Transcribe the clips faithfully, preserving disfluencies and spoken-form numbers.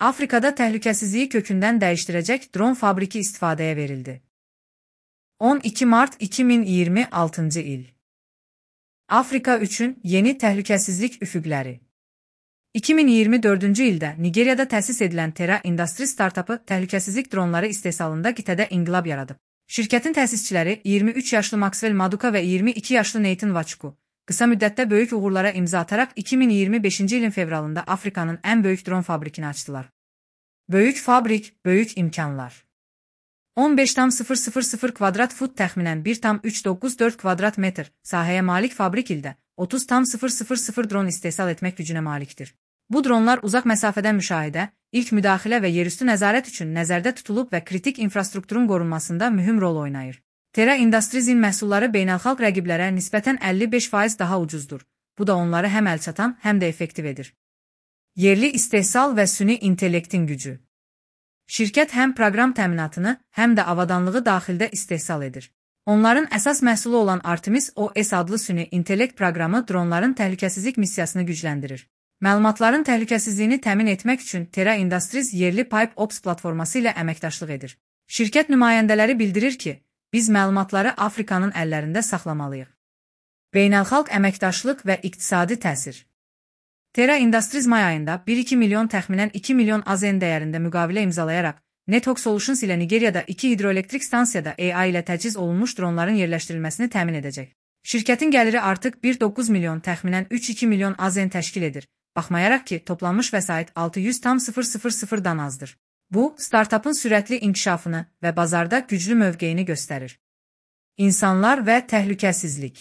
Afrikada təhlükəsizliyi kökündən dəyişdirəcək dron fabriki istifadəyə verildi. on iki mart iki min iyirmi altıncı il. Afrika üçün yeni təhlükəsizlik üfüqləri. iki min iyirmi dördüncü ildə Nigeriyada təsis edilən Terra Industries startapı təhlükəsizlik dronları istehsalında qitədə inqilab yaradıb. Şirkətin təsisçiləri iyirmi üç yaşlı Maxwell Maduka və iyirmi iki yaşlı Nathan Nwachukwu qısa müddətdə böyük uğurlara imza ataraq iki min iyirmi beşinci ilin fevralında Afrikanın ən böyük dron fabrikini açdılar. Böyük fabrik, böyük imkanlar. on beş tam sıfır sıfır sıfır kvadrat fut təxminən bir tam üç doqquz dörd kvadrat metr sahəyə malik fabrik ildə otuz tam sıfır sıfır sıfır dron istehsal etmək gücünə malikdir. Bu dronlar uzaq məsafədən müşahidə, ilk müdaxilə və yerüstü nəzarət üçün nəzərdə tutulub və kritik infrastrukturun qorunmasında mühüm rol oynayır. Terra Industries'in məhsulları beynəlxalq rəqiblərə nisbətən əlli beş faiz daha ucuzdur. Bu da onları həm əlçatan, həm də effektiv edir. Yerli istehsal və süni intellektin gücü. Şirkət həm proqram təminatını, həm də avadanlığı daxildə istehsal edir. Onların əsas məhsulu olan Artemis O S adlı süni intellekt proqramı dronların təhlükəsizlik missiyasını gücləndirir. Məlumatların təhlükəsizliyini təmin etmək üçün Terra Industries yerli Pipe Ops platforması ilə əməkdaşlıq edir. Şirkət nümayəndələri bildirir ki, biz məlumatları Afrikanın əllərində saxlamalıyıq. Beynəlxalq əməkdaşlıq və iqtisadi təsir. Terra Industries may ayında bir iki milyon təxminən iki milyon A Z N dəyərində müqavilə imzalayaraq Network Solutions ilə Nigeriyada iki hidroelektrik stansiyada A I ilə təchiz olunmuş dronların yerləşdirilməsini təmin edəcək. Şirkətin gəliri artıq bir nöqtə doqquz milyon təxminən üç nöqtə iki milyon A Z N təşkil edir. Baxmayaraq ki, toplanmış vəsait altı yüz tam sıfır sıfır sıfırdan azdır. Bu, startapın sürətli inkişafını və bazarda güclü mövqeyini göstərir. İnsanlar və təhlükəsizlik.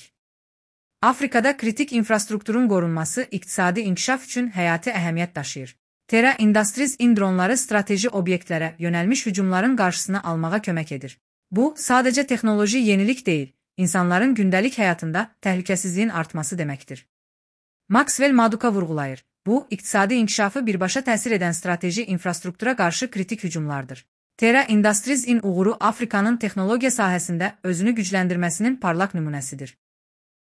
Afrikada kritik infrastrukturun qorunması iqtisadi inkişaf üçün həyati əhəmiyyət daşıyır. Terra Industries-in dronları strateji obyektlərə yönəlmiş hücumların qarşısını almağa kömək edir. Bu, sadəcə texnoloji yenilik deyil, insanların gündəlik həyatında təhlükəsizliyin artması deməkdir. Maxwell Maduka vurğulayır. Bu, iqtisadi inkişafı birbaşa təsir edən strateji infrastruktura qarşı kritik hücumlardır. Terra Industries-in uğuru Afrikanın texnologiya sahəsində özünü gücləndirməsinin parlaq nümunəsidir.